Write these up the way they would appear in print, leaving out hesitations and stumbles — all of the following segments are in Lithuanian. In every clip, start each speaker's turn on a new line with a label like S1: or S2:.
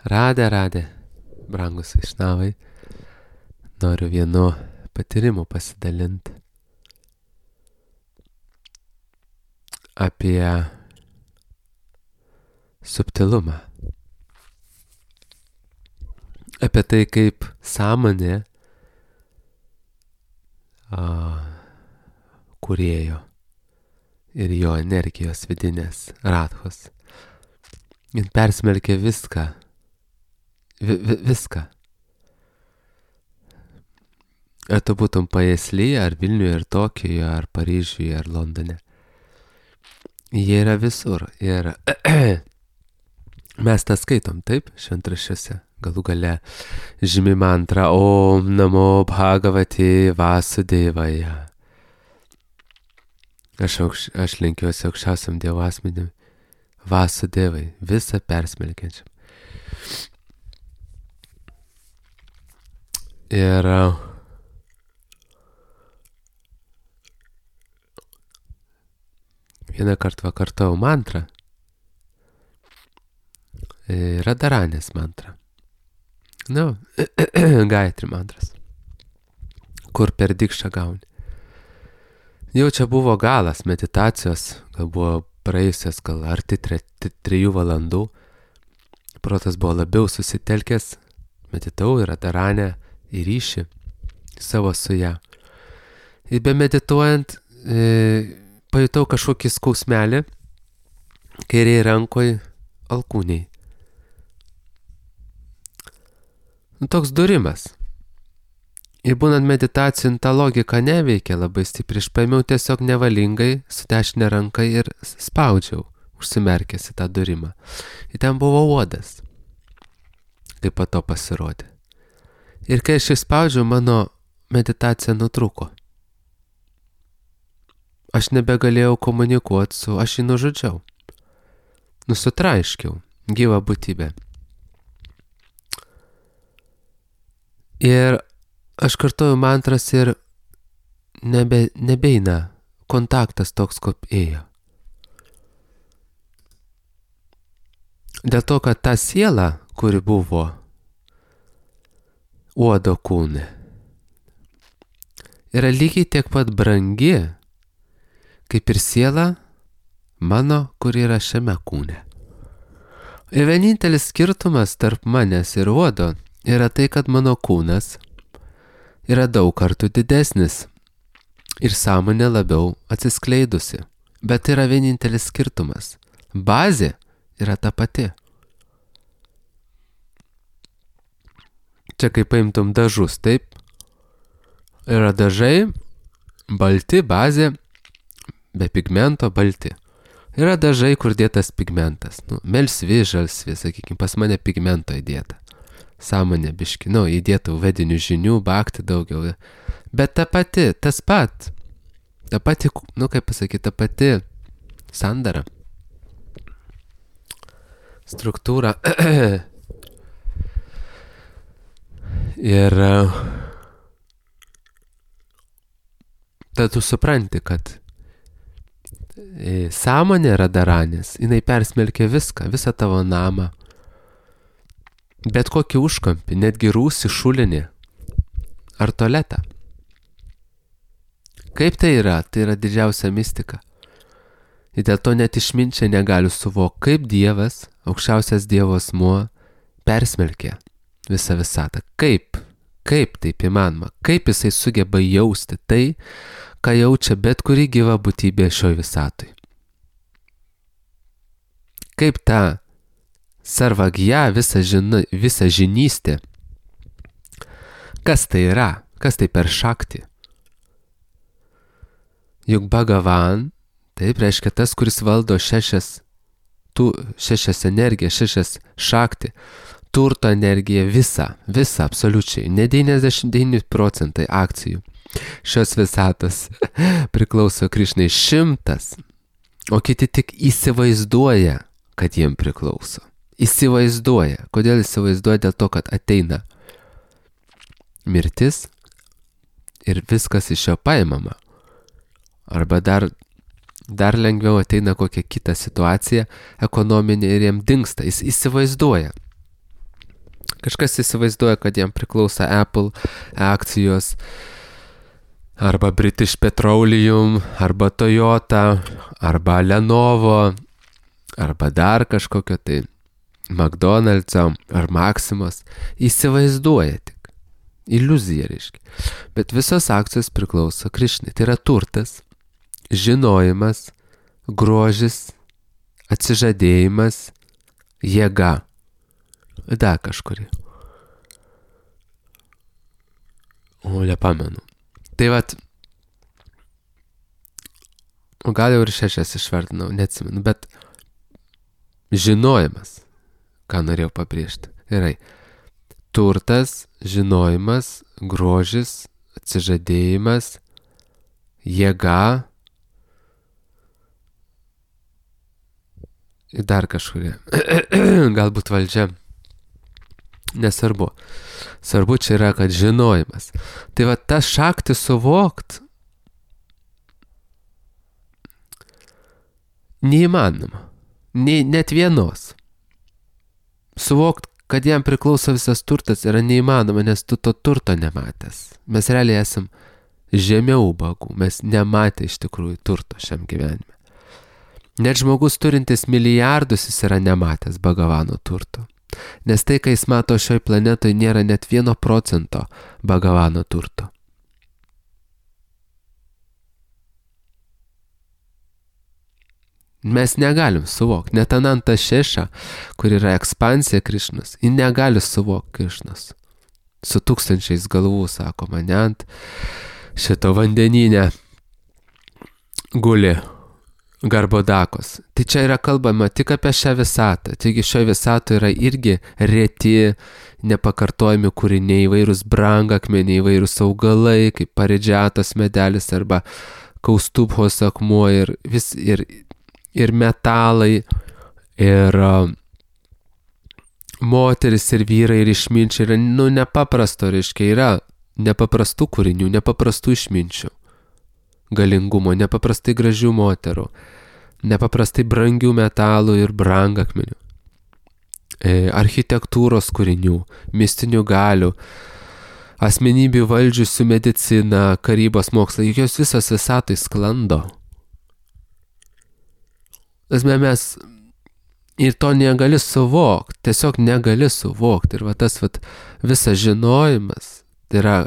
S1: Radė, brangus išnavai, noriu vienu patyrimu pasidalinti apie subtilumą. Apie tai, kaip sąmonė kūrėjo ir jo energijos vidinės radhos. Jis persmelkė viską. Viską. Ar tu būtum Paėslyje, ar Vilniuje, ar Tokijoje, ar Paryžiuje, ar Londone. Jie yra visur. Ir mes tą skaitom, taip, šventraščiuose. Galų gale žymi mantra Om Namo Bhagavate Vasudevaya. Aš lenkiuosi aukščiausiam Dievo asmeniui Vasudevai, visą persmelkiančiam. Ir vieną kartą kartojau mantrą. Radharanės mantrą. Gayatri mantras. Kur per dikšą gauni. Jau čia buvo galas meditacijos, gal buvo praėjusios, gal arti 3 valandų. Protas buvo labiau susitelkęs, meditavau į Radharanę, į ryšį savo su ją. Ir be medituojant pajutau kažkokį skausmelį kairėje rankoje alkūniai. Toks durimas. Ir būnant meditacijų, ta logika neveikia labai stipriai. Aš paėmiau tiesiog nevalingai su dešinė ranka ir spaudžiau, užsimerkęs į tą durimą. Ir ten buvo uodas, kaip po to pasirodė. Ir kai aš išspaudžiau, mano meditacija nutrūko. Aš nebegalėjau komunikuoti su, aš jį nužudžiau. Sutraiškiau gyvą būtybę. Ir aš kartoju mantras ir nebeina kontaktas toks, kaip ėjo. Dėl to, kad ta siela, kuri buvo uodo kūne, yra lygiai tiek pat brangi, kaip ir siela mano, kuri yra šiame kūne. Ir vienintelis skirtumas tarp manęs ir uodo yra tai, kad mano kūnas yra daug kartų didesnis ir sąmonė labiau atsiskleidusi. Bet yra vienintelis skirtumas. Bazė yra ta pati. Čia kaip paimtum dažus, taip? Yra dažai, balti, bazė, be pigmento balti. Yra dažai, kur dėtas pigmentas. Melsvi, žalsvi, sakykime, pas mane pigmento įdėta. Sąmonė biški, įdėtų vedinių žinių, bakti daugiau. Bet ta pati, tas pat, ta pati, kaip pasakyti, ta pati sandara, struktūra. Ir tada tu supranti, kad sąmonė Radharanės, jinai persmelkia viską, visą tavo namą. Bet kokį užkampį, netgi rūsį, šulinį ar tualetą. Kaip tai yra? Tai yra didžiausia mistika. Ir dėl to net išminčiai negali suvokti, kaip Dievas, aukščiausias Dievo asmuo, persmelkia visą visatą. Kaip taip įmanoma? Kaip jisai sugeba jausti tai, ką jaučia bet kuri gyva būtybė šioj visatoj? Kaip ta sarvagija, visa žinystė. Kas tai yra? Kas tai per šakti? Juk Bhagavan, taip reiškia tas, kuris valdo šešias energijas, 6 šakti, turto energiją, visą absoliučiai, ne 99% akcijų. Šios visatos priklauso Krišnai 100, o kiti tik įsivaizduoja, kad jiem priklauso. Įsivaizduoja. Kodėl įsivaizduoja? Dėl to, kad ateina mirtis ir viskas iš jo paimama. Arba dar lengviau ateina kokia kita situacija ekonominė ir jam dingsta. Jis įsivaizduoja. Kažkas įsivaizduoja, kad jam priklauso Apple akcijos, arba British Petroleum, arba Toyota, arba Lenovo, arba dar kažkokio tai McDonald's'o ar Maximos. Įsivaizduoja tik. Iliuzija reiškia. Bet visos akcijos priklauso Krišnai. Tai yra turtas, žinojimas, grožis, atsižadėjimas, jėga. Dar kažkurį. O, nepamenu. Tai vat, gal jau ir 6 išvardinau, neatsimenu, bet žinojimas, ką norėjau pabrėžti. Gerai. Turtas, žinojimas, grožis, atsižadėjimas, jėga ir dar kažkurie. Galbūt valdžia. Nesvarbu. Svarbu čia yra, kad žinojimas. Tai va tą šaktį suvokt neįmanoma. Net vienos. Suvokt, kad jam priklauso visas turtas, yra neįmanoma, nes tu to turto nematęs. Mes realiai esam žemiau ubagų. Mes nematę iš tikrųjų turto šiam gyvenime. Net žmogus turintis milijardus jis yra nematęs Bhagavano turto. Nes tai, kai jis mato šioj planetoje, nėra net 1% Bhagavano turto. Mes negalim suvokti. Net Ananta Šeša, kur yra ekspansija Krišnos, ji negali suvokti Krišnos. Su 1000 galvų, sako, mane ant šito vandeninė guli Garbodakos. Tai čia yra kalbama tik apie šią visatą. Taigi šioje visatoje yra irgi reti, nepakartojami kūriniai, įvairūs brangakmeniai, įvairūs augalai, kaip paridžiatos medelis arba kaustubhos akmuo ir metalai, ir moteris ir vyrai ir išminčiai yra, nepaprasto, reiškia, yra nepaprastų kūrinių, nepaprastų išminčių. Galingumo, nepaprastai gražių moterų, nepaprastai brangių metalų ir brangakmenių, architektūros kūrinių, mistinių galių, asmenybių valdžiusių mediciną, karybos mokslą, juk jos visos visatai sklando. Mes ir to negali suvokti, tiesiog negali suvokti. Ir va tas visas žinojimas, tai yra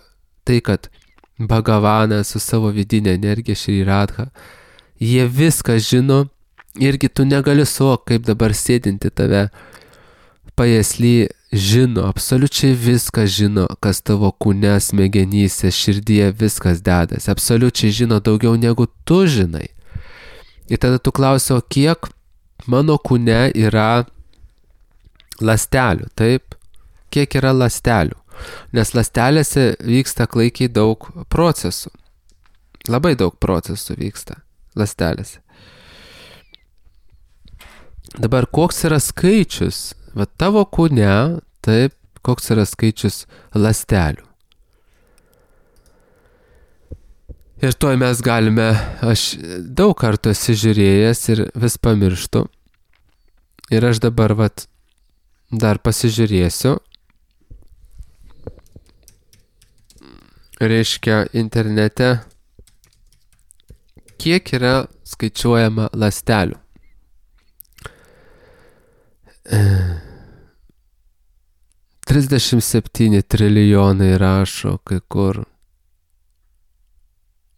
S1: tai, kad Bhagavanas su savo vidinė energija Šri Radha, jie viską žino, irgi tu negali suvokti, kaip dabar sėdinti tave pajėsly žino, absoliučiai viską žino, kas tavo kūne, smegenyse, širdyje, viskas dedasi, absoliučiai žino daugiau negu tu žinai. Ir tada tu klausi, o kiek mano kūne yra ląstelių, taip? Kiek yra ląstelių? Nes ląstelėse vyksta klaikiai daug procesų. Labai daug procesų vyksta ląstelėse. Dabar koks yra skaičius, va tavo kūne, taip, koks yra skaičius ląstelių. Ir toj mes galime, aš daug kartų esu žiūrėjęs ir vis pamirštu. Ir aš dabar dar pasižiūrėsiu. Reiškia internete, kiek yra skaičiuojama ląstelių. – 37 trilijonai rašo kai kur.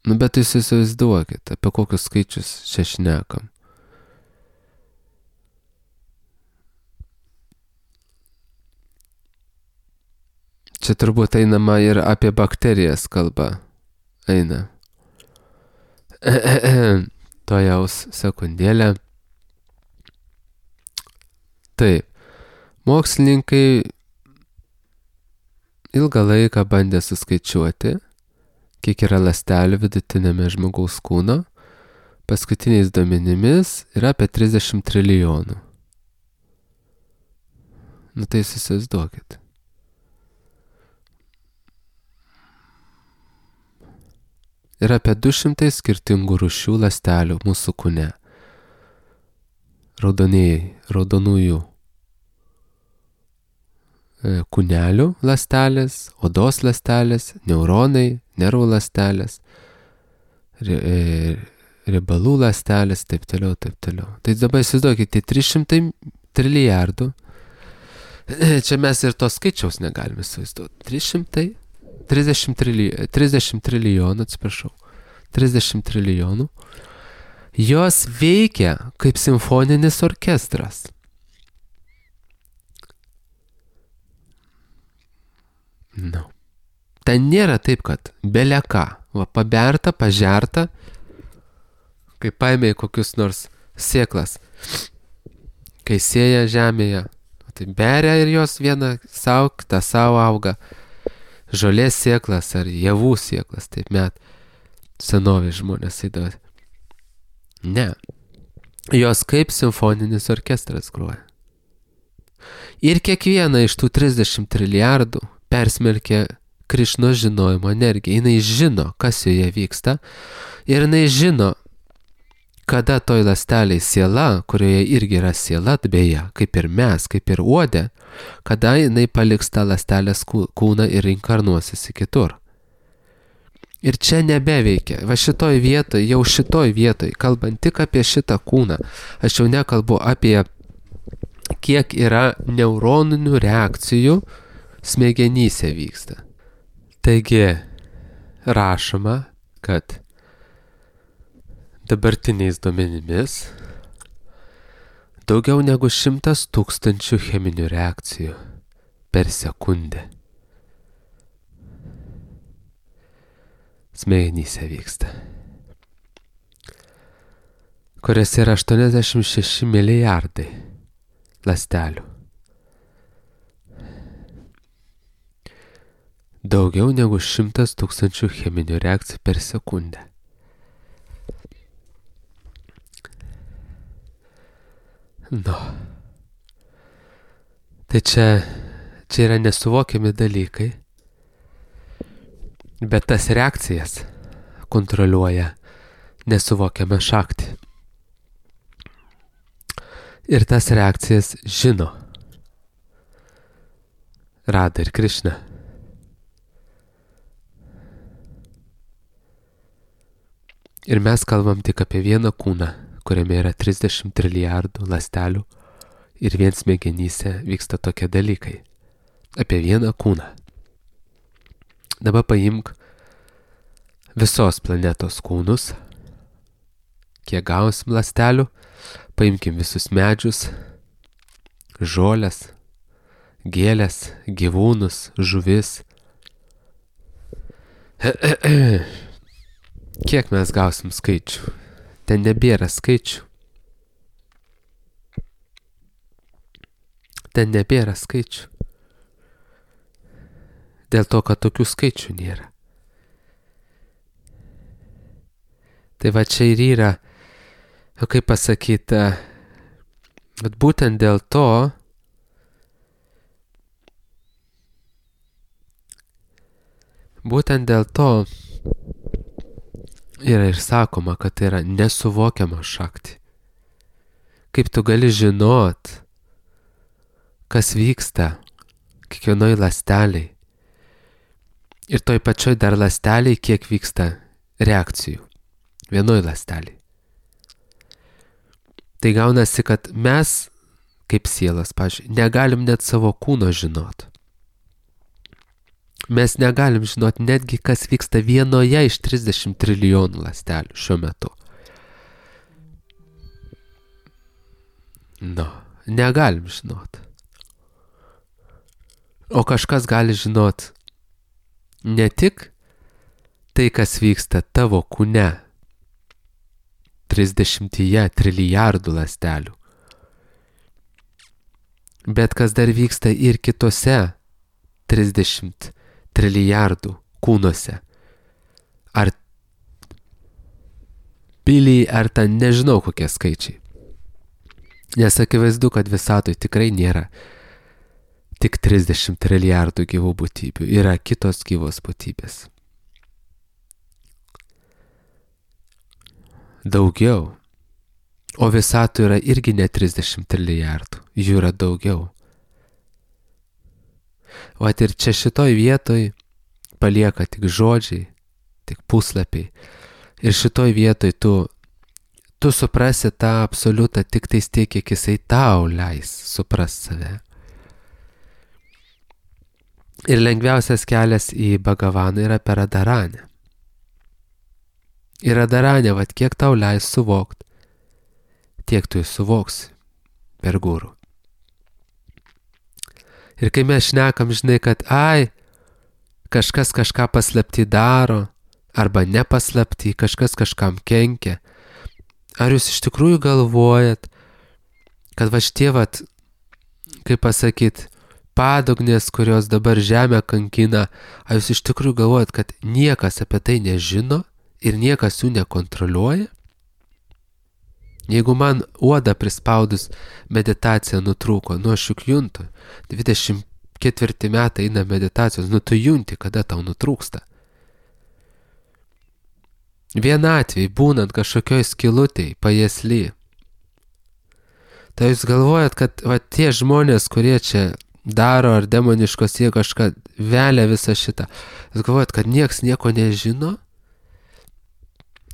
S1: Bet jūs įsivaizduokit, apie kokius skaičius čia šnekam. Čia turbūt einama ir apie bakterijas kalba. Eina. Tojaus sekundėlę. Taip. Mokslininkai ilgą laiką bandė suskaičiuoti, kiek yra ląstelių vidutinėme žmogaus kūno. Paskutiniais duomenimis yra apie 30 trilijonų. Tai įsivaizduokit. Yra apie 200 skirtingų rūšių ląstelių mūsų kūne. Raudonųjų. kūnelių ląstelės, odos ląstelės, neuronai, nervų ląstelės, riebalų ląstelės, taip toliau, taip toliau. Tai dabar įsivaizduokite, 300 trilijardų. Čia mes ir to skaičiaus negalime įsivaizduoti. 30 trilijonų, atsiprašau. 30 trilijonų. Jos veikia kaip simfoninis orkestras. No. Ten nėra taip, kad beleka, paberta, pažerta, kai paėmė kokius nors sėklas, kai sėja žemėje, tai beria ir jos viena savo, kita savo auga, žolės sėklas ar javų sėklas, taip met senovės žmonės įdavė. Ne, jos kaip simfoninis orkestras groja. Ir kiekviena iš tų 30 trilijardų persmelkia Krišnos žinojimo energiją. Jinai žino, kas joje vyksta, ir jinai žino, kada toj ląsteliai siela, kurioje irgi yra siela, beje, kaip ir mes, kaip ir uodė, kada jinai paliks tą ląstelės kūną ir inkarnuosis į kitur. Ir čia nebeveikia. Va šitoj vietoj, kalbant tik apie šitą kūną, aš jau nekalbu apie kiek yra neuroninių reakcijų smegenyse vyksta. Taigi, rašoma, kad dabartiniais duomenimis daugiau negu 100 000 cheminių reakcijų per sekundę smegenyse vyksta, kurias yra 86 milijardai ląstelių. Daugiau negu 100 000 cheminių reakcijų per sekundę. No. Tai čia yra nesuvokiami dalykai, bet tas reakcijas kontroliuoja nesuvokiama šakti. Ir tas reakcijas žino Rada ir Krišna. Ir mes kalbam tik apie vieną kūną, kuriame yra 30 trilijardų ląstelių ir vien smegenyse vyksta tokie dalykai. Apie vieną kūną. Dabar paimk visos planetos kūnus, kiek gausim ląstelių, paimkim visus medžius, žolės, gėlės, gyvūnus, žuvis. Kiek mes gausim skaičių? Ten nebėra skaičių. Ten nebėra skaičių. Dėl to, kad tokių skaičių nėra. Tai va čia ir yra, kaip pasakyti, bet būtent dėl to, yra ir sakoma, kad tai yra nesuvokiama šakti. Kaip tu gali žinot, kas vyksta kiekvienoj ląsteliai. Ir toj pačioj dar ląsteliai, kiek vyksta reakcijų. Vienoj ląsteliai. Tai gaunasi, kad mes, kaip sielas, pavyzdžiui, negalim net savo kūno žinot. Mes negalim žinot netgi, kas vyksta vienoje iš 30 trilijonų ląstelių šiuo metu. No, negalim žinot. O kažkas gali žinot ne tik tai, kas vyksta tavo kūne, 30 trilijardų ląstelių, bet kas dar vyksta ir kitose 30 trilijardų kūnuose. Ar piliai, ar ten nežinau kokie skaičiai. Nes akivaizdu, kad visatoj tikrai nėra tik 30 trilijardų gyvų būtybių. Yra kitos gyvos būtybės. Daugiau. O visatoj yra irgi ne 30 trilijardų. Jų yra daugiau. Vat ir čia šitoj vietoj palieka tik žodžiai, tik puslapiai. Ir šitoj vietoj tu suprasi tą absoliutą tik tais tiek, kiek jisai tau leis suprast save. Ir lengviausias kelias į Bhagavaną yra per Radharanę. Ir Radharanė, vat kiek tau leis suvokt, tiek tu suvoksi per gurų. Ir kai mes šnekam, žinai, kad kažkas kažką paslapti daro, arba nepaslapti, kažkas kažkam kenkia, ar jūs iš tikrųjų galvojat, kad va šitie, kaip pasakyt, padugnės, kurios dabar žemę kankina, ar jūs iš tikrųjų galvojat, kad niekas apie tai nežino ir niekas jų nekontroliuoja? Jeigu man uodą prispaudus meditacija nutrūko, aš juk juntu, 24 metai eina meditacijos, tu junti, kada tau nutrūksta. Vienatvėj, būnant kažkokioj skylutėj, pajėsly. Tai jūs galvojat, kad tie žmonės, kurie čia daro ar demoniškos jie kažką velia visą šitą, jūs galvojat, kad nieks nieko nežino?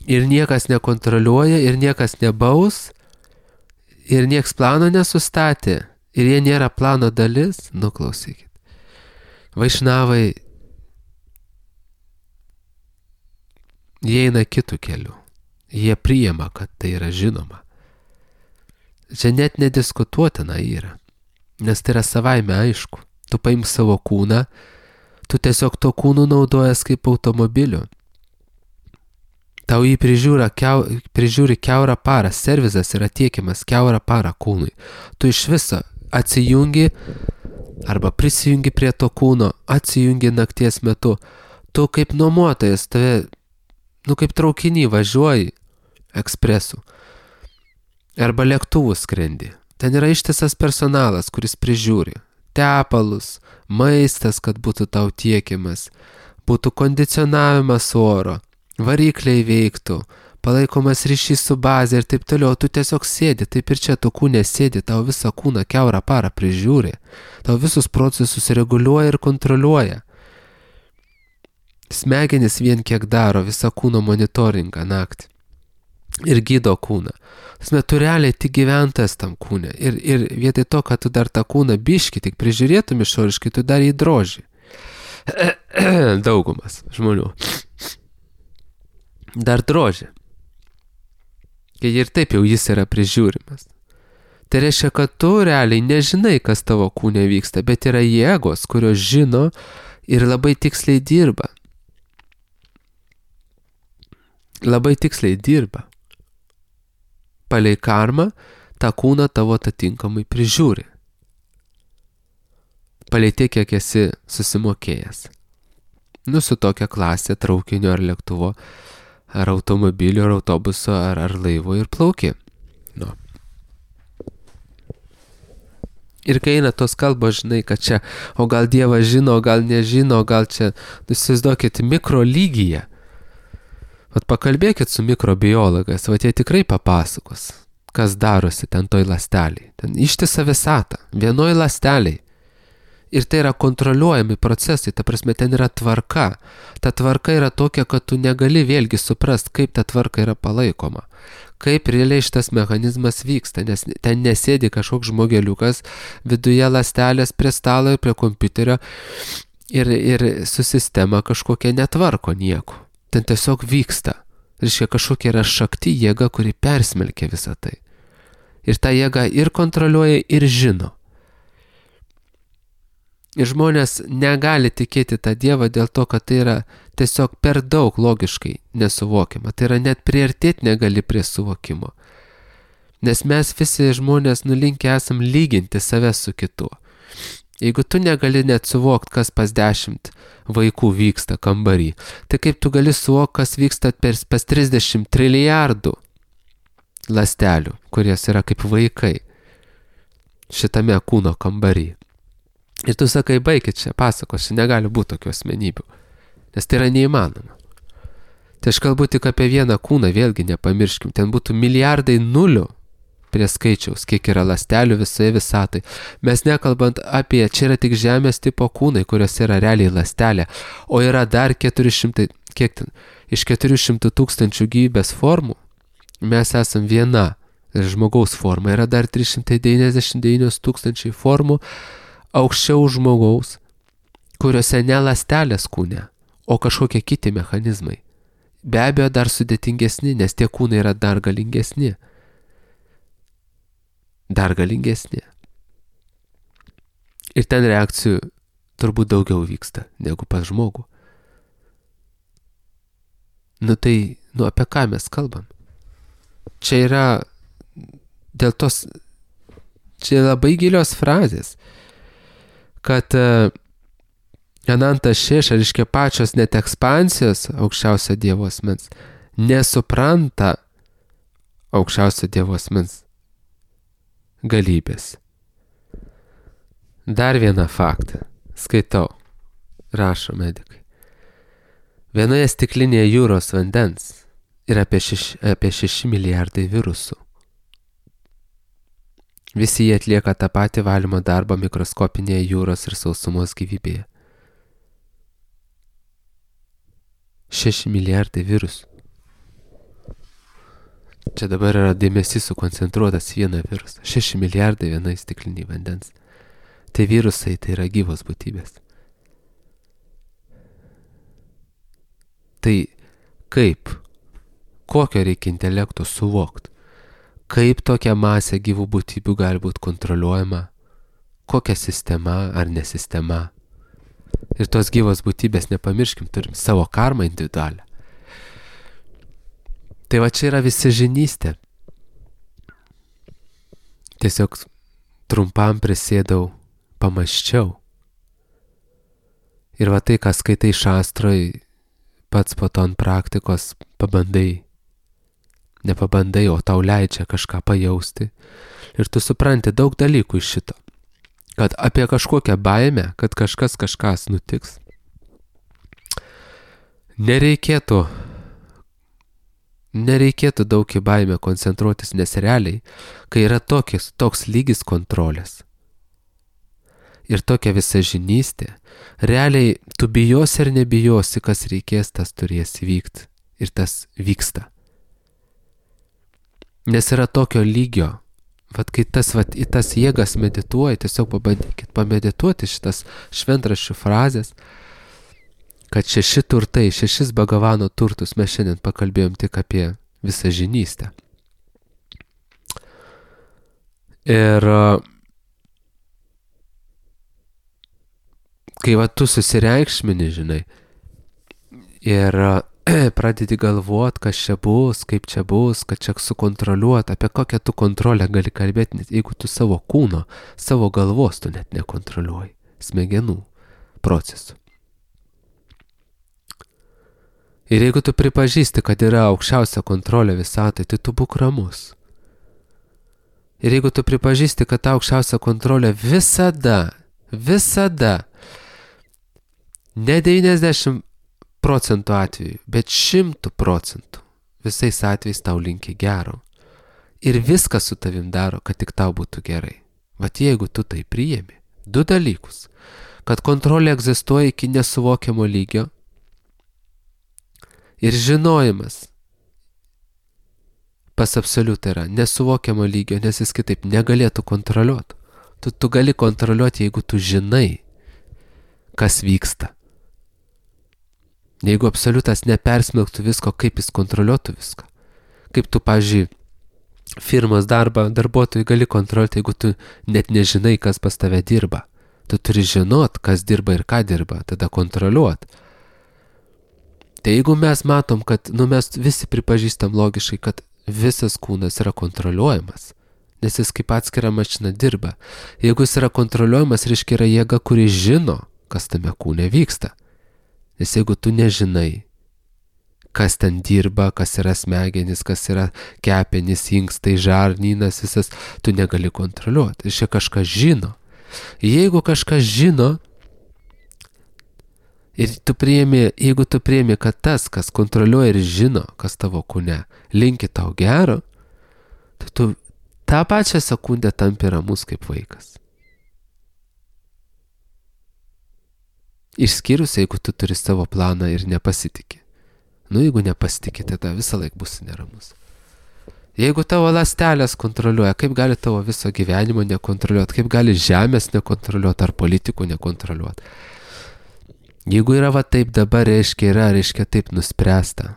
S1: Ir niekas nekontroliuoja, ir niekas nebaus, ir nieks plano nesustatė, ir jie nėra plano dalis, klausykit. Vaišnavai, jie eina kitų kelių. Jie priima, kad tai yra žinoma. Čia net nediskutuotina yra, nes tai yra savaime aišku. Tu paimk savo kūną, tu tiesiog to kūnų naudojas kaip automobiliu. Tau jį prižiūri kiaurą parą, servizas yra tiekiamas kiaurą parą kūnui. Tu iš viso atsijungi arba prisijungi prie to kūno, atsijungi nakties metu. Tu kaip nuomotojas, tave, kaip traukinį važiuoji ekspresu. Arba lėktuvų skrendi. Ten yra ištisas personalas, kuris prižiūri. Tepalus, maistas, kad būtų tau tiekiamas, būtų kondicionavimas oro. Varikliai veiktų, palaikomas ryšys su bazė ir taip toliau, tu tiesiog sėdi, taip ir čia tu kūne sėdi, tau visą kūną kiaurą parą prižiūri, tau visus procesus reguliuoja ir kontroliuoja. Smegenis vien kiek daro visą kūno monitoringą naktį ir gydo kūną. Tu realiai tik gyventas tam kūne ir vietoj to, kad tu dar tą kūną biškį tik prižiūrėtum išoriškai, tu dar jį droži. Daugumas žmonių. Dar drožia. Kai ir taip jau jis yra prižiūrimas. Tai reiškia, kad tu realiai nežinai, kas tavo kūne vyksta, bet yra jėgos, kurios žino ir labai tiksliai dirba. Labai tiksliai dirba. Palei karmą tą kūną tavo atitinkamai prižiūri. Palei tiek, kiek esi susimokėjęs. Su tokia klasė traukinio ar lėktuvo, ar automobilio, ar autobuso, ar laivo ir plauki. Ir kai eina tos kalbos, žinai, kad čia, o gal Dievas žino, o gal nežino, o gal čia, įsivaizduokit, mikro lygyje. Pakalbėkit su mikrobiologais, jie tikrai papasakos, kas darosi ten toj ląstelėj. Ten ištisa visata, vienoj ląstelėj. Ir tai yra kontroliuojami procesai, ta prasme, ten yra tvarka. Ta tvarka yra tokia, kad tu negali vėlgi suprast, kaip ta tvarka yra palaikoma. Kaip realiai šitas mechanizmas vyksta, nes ten nesėdi kažkoks žmogeliukas viduje ląstelės prie stalo ir prie kompiuterio ir su sistema kažkokia netvarko nieko. Ten tiesiog vyksta. Reiškia, kažkokia yra šakti jėga, kuri persmelkia visą tai. Ir ta jėga ir kontroliuoja, ir žino. Ir žmonės negali tikėti tą Dievą dėl to, kad tai yra tiesiog per daug logiškai nesuvokiama. Tai yra net priartėti negali prie suvokimo. Nes mes visi žmonės nulinkę esam lyginti save su kitu. Jeigu tu negali net suvokti, kas pas 10 vaikų vyksta kambarį, tai kaip tu gali suvokti, kas vyksta pas 30 trilijardų ląstelių, kurios yra kaip vaikai šitame kūno kambarį. Ir tu sakai, baikit čia pasakos, čia negali būti tokių asmenybių, nes tai yra neįmanoma. Tai aš kalbu tik apie vieną kūną, vėlgi nepamirškim, ten būtų milijardai nulių, prie skaičiaus, kiek yra ląstelių visoje visatai. Mes nekalbant apie, čia yra tik žemės tipo kūnai, kurios yra realiai ląstelė, o yra dar 400, kiek ten, iš 400 tūkstančių gyvybės formų, mes esam viena žmogaus forma, yra dar 399 tūkstančiai formų aukščiau žmogaus, kuriuose ne ląstelės kūne, o kažkokie kiti mechanizmai. Be abejo dar sudėtingesni, nes tie kūnai yra dar galingesni. Dar galingesni. Ir ten reakcijų turbūt daugiau vyksta negu pas žmogų. Apie ką mes kalbam? Čia yra dėl tos, čia labai gilios frazės, kad Ananta Šeša, reiškia pačios net ekspansijos aukščiausio Dievo asmens, nesupranta aukščiausio Dievo asmens galybės. Dar vieną faktą. Skaitau. Rašo medikai. Vienoje stiklinėje jūros vandens yra apie 6 milijardai virusų. Visi jie atlieka tą patį valymo darbą mikroskopinėje jūros ir sausumos gyvybėje. 6 milijardai virusų. Čia dabar yra dėmesys sukoncentruotas vieną virusą. 6 milijardai vienai stikliniai vandens. Tai virusai, tai yra gyvos būtybės. Tai kaip? Kokio reikia intelekto suvokti? Kaip tokia masė gyvų būtybių gali būti kontroliuojama? Kokia sistema ar nesistema? Ir tos gyvos būtybės, nepamirškim, turim savo karmą individualią. Tai va čia yra visažinystė. Tiesiog trumpam prisėdau, pamąsčiau. Ir va tai, ką skaitai šastroj, pats po to ant praktikos pabandai. Nepabandai, o tau leidžia kažką pajausti. Ir tu supranti daug dalykų iš šito. Kad apie kažkokią baimę, kad kažkas nutiks, nereikėtų daug į baimę koncentruotis, nes realiai, kai yra toks lygis kontrolės ir tokia visažinystė, realiai tu bijosi ar nebijosi, kas reikės, tas turės įvykti. Ir tas vyksta. Nes yra tokio lygio, kai į tas jėgas medituoji, tiesiog pabandykit pamedituoti šitas šventraščių frazės, kad 6 turtai, 6 Bhagavano turtus mes šiandien pakalbėjom tik apie visažinystę. Ir kai tu susireikšmini, žinai, ir pradedi galvot, kas čia bus, kaip čia bus, kad čia sukontroliuot, apie kokią tu kontrolę gali kalbėti, net jeigu tu savo kūno, savo galvos tu net nekontroliuoji, smegenų procesų. Ir jeigu tu pripažįsti, kad yra aukščiausia kontrolė visatai, tai tu būk ramus. Ir jeigu tu pripažįsti, kad ta aukščiausia kontrolė visada, ne 90% atveju, bet 100% visais atvejais tau linki gero. Ir viską su tavim daro, kad tik tau būtų gerai. Vat jeigu tu tai priėmi, 2 dalykus. Kad kontrolė egzistuoja iki nesuvokiamo lygio ir žinojimas pas absoliutą yra nesuvokiamo lygio, nes jis kitaip negalėtų kontroliuoti. Tu gali kontroliuoti, jeigu tu žinai, kas vyksta. Jeigu absoliutas nepersmelktų visko, kaip jis kontroliuotų viską. Kaip tu, pavyzdžiui, firmos darbuotojai gali kontroliuoti, jeigu tu net nežinai, kas pas tave dirba. Tu turi žinot, kas dirba ir ką dirba, tada kontroliuot. Tai jeigu mes matom, kad mes visi pripažįstam logiškai, kad visas kūnas yra kontroliuojamas, nes jis kaip atskira mašina dirba. Jeigu jis yra kontroliuojamas, reiškia yra jėga, kuri žino, kas tame kūne vyksta. Nes jeigu tu nežinai, kas ten dirba, kas yra smegenys, kas yra kepenys, inkstai, žarnynas, visas, tu negali kontroliuoti. Reiškia kažkas žino. Jeigu kažkas žino, ir jeigu tu priimi, kad tas, kas kontroliuoja ir žino, kas tavo kūne, linki tau gero, tai tu tą pačią sekundę tampi ramus kaip vaikas. Išskyrus, jeigu tu turi savo planą ir nepasitikė. Jeigu nepasitikė, tada visą laiką bus neramus. Jeigu tavo ląstelės kontroliuoja, kaip gali tavo viso gyvenimo nekontroliuoti, kaip gali žemės nekontroliuoti ar politikų nekontroliuoti. Jeigu yra va taip dabar, reiškia taip nuspręsta.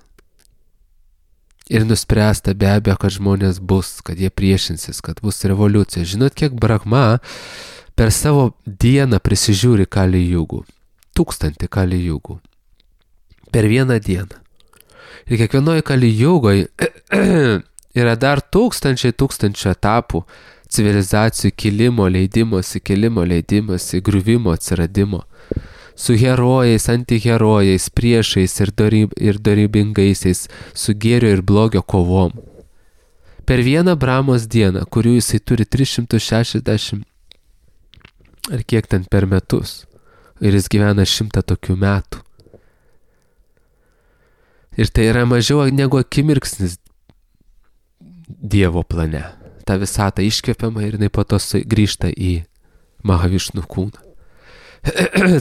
S1: Ir nuspręsta be abejo, kad žmonės bus, kad jie priešinsis, kad bus revoliucija. Žinot, kiek Brahma per savo dieną prisižiūri Kali Jugų? 1000 Kali Jugų. Per vieną dieną. Ir kiekvienoje Kali Jugoje yra dar tūkstančiai etapų civilizacijų kilimo, leidimosi, griuvimo, atsiradimo. Su herojais, antiherojais, priešais ir dorybingaisiais, su gėrio ir blogio kovom. Per vieną Brahmos dieną, kurių jisai turi 360 ar kiek ten per metus, ir jis gyvena 100 tokių metų. Ir tai yra mažiau negu akimirksnis Dievo plane. Ta visata iškvepiama ir jinai po to grįžta į Mahavišnų kūną.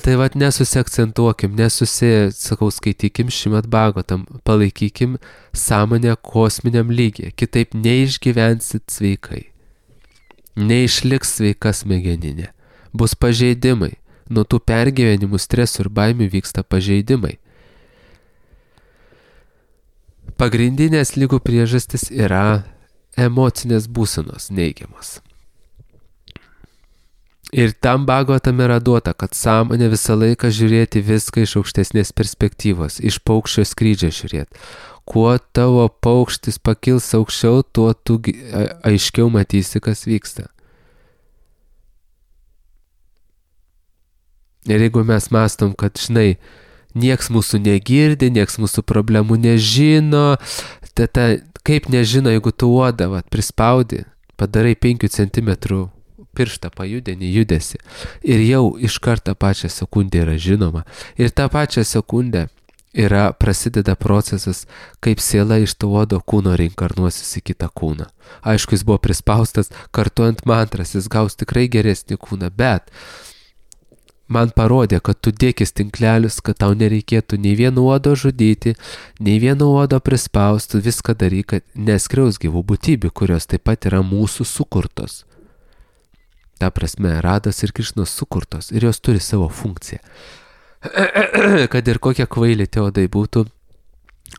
S1: Tai vat nesusiakcentuokim, skaitykim Šrimad Bhagavatam, palaikykim sąmonę kosminiam lygyje, kitaip neišgyvensit sveikai. Neišliks sveika smegeninė. Bus pažeidimai. Nuo tų pergyvenimų, stresų ir baimių vyksta pažeidimai. Pagrindinės lygų priežastis yra emocinės būsenos neigiamos. Ir tam Bhagavatam yra duota, kad sąmonė visą laiką žiūrėti viską iš aukštesnės perspektyvos, iš paukščio skrydžio žiūrėti. Kuo tavo paukštis pakils aukščiau, tuo tu aiškiau matysi, kas vyksta. Ir jeigu mes mąstom, kad, nieks mūsų negirdi, nieks mūsų problemų nežino, kaip nežino, jeigu tu uodą prispaudi, padarai 5 cm pirštą pajudinį judesi ir jau iš karto pačią sekundę yra žinoma. Ir tą pačią sekundę prasideda procesas, kaip siela iš to uodo kūno reinkarnuosis į kitą kūną. Aišku, jis buvo prispaustas, kartuojant mantras, jis gaus tikrai geresnį kūną, bet man parodė, kad tu dėkis tinklelius, kad tau nereikėtų nei vieno uodo žudyti, nei vieno uodo prispausti, viską daryk, kad neskriaus gyvų būtybių, kurios taip pat yra mūsų sukurtos. Ta prasme, Rados ir Krišnos sukurtos ir jos turi savo funkciją. Kad ir kokie kvaili tie uodai būtų,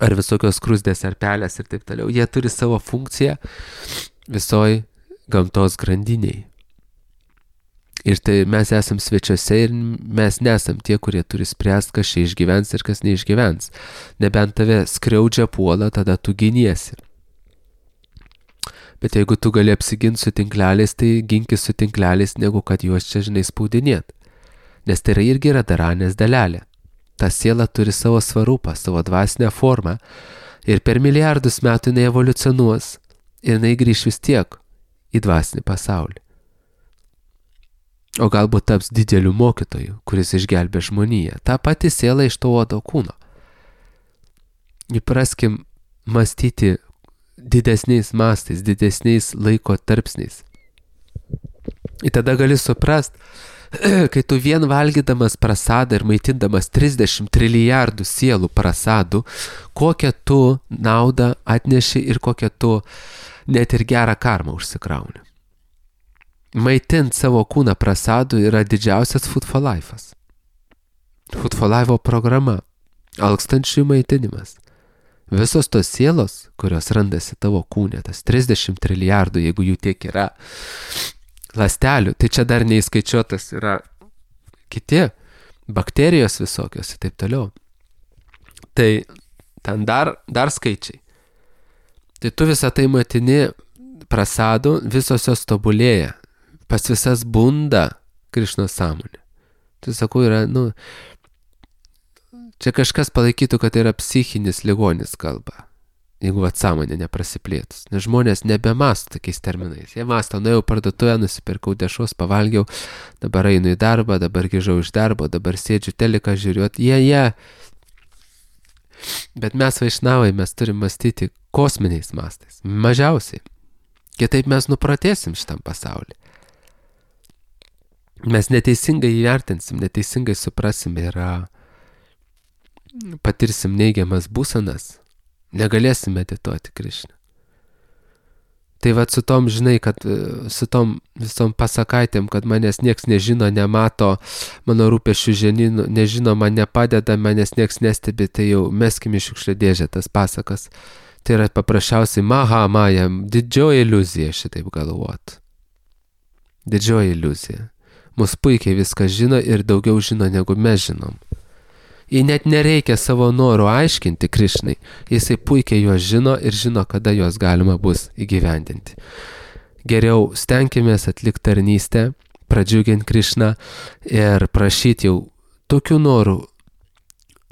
S1: ar visokios krusdės, ar pelės ir taip toliau, jie turi savo funkciją visoj gamtos grandiniai. Ir tai mes esam svečiuose ir mes nesam tie, kurie turi spręsti, kas čia išgyvens ir kas neišgyvens. Nebent tave skriaudžia puola, tada tu giniesi. Bet jeigu tu gali apsiginti su tinkleliais, tai ginkis su tinkleliais, negu kad juos čia, spaudinėt. Nes tai irgi yra daranės dalelė. Ta siela turi savo svarupą, savo dvasinę formą ir per milijardus metų jinai evoliucionuos ir jinai grįš vis tiek į dvasinį pasaulį. O galbūt taps dideliu mokytoju, kuris išgelbė žmoniją. Ta pati siela iš to uodo kūno. Įpraskim mąstyti didesniais mastais, didesniais laiko tarpsniais. Ir tada gali suprast, kai tu vien valgydamas prasadą ir maitindamas 30 trilijardų sielų prasadų, kokią tu naudą atneši ir kokią tu net ir gerą karmą užsikrauni. Maitint savo kūną prasadų yra didžiausias Food for Life'as. Food for Life programa, alkstančių maitinimas. Visos tos sielos, kurios randasi tavo kūne, tas 30 trilijardų, jeigu jų tiek yra ląstelių, tai čia dar neįskaičiuotas yra kiti bakterijos visokios ir taip toliau. Tai ten dar skaičiai. Tai tu visą tai matini prasadų, visos jos tobulėja. Pas visas bunda Krišnos sąmonė. Tai sakau, yra, čia kažkas palaikytų, kad tai yra psichinis ligonis kalba, jeigu sąmonė neprasiplėtus. Nes žmonės nebemąsto tokiais terminais. Jie mąsto, nuėjau parduotuvę, nusipirkau dešros, pavalgiau, dabar einu į darbą, dabar grįžau iš darbo, dabar sėdžiu teliką žiūriuot. Jie. Bet mes vaišnavai, mes turim mąstyti kosminiais mastais. Mažiausiai. Kitaip mes nupratėsim šitam pasauliu. Mes neteisingai įvertinsim, neteisingai suprasim ir patirsim neigiamas būsenas, negalėsim medituoti Krišną. Tai vat su tom, žinai, kad su tom visom pasakaitėm, kad manęs nieks nežino, nemato, mano rūpesčių ženinų, nežino, man nepadeda, manęs nieks nestebi, tai jau meskim į šiukšlę dėžę tas pasakas. Tai yra paprasčiausiai maja, didžioji iliuzija šitaip galvot. Didžioji iliuzija. Mus puikiai viską žino ir daugiau žino, negu mes žinom. Jei net nereikia savo norų aiškinti Krišnai, jisai puikiai juos žino ir žino, kada juos galima bus įgyvendinti. Geriau stenkimės atlikti tarnystę, pradžiuginti Krišną ir prašyti jau tokių norų,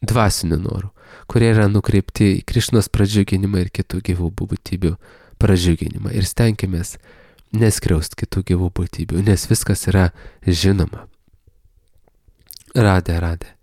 S1: dvasinių norų, kurie yra nukreipti į Krišnos pradžiuginimą ir kitų gyvų būtybių pradžiuginimą. Ir stenkimės neskriaust kitų gyvų būtybių, nes viskas yra žinoma. Radė.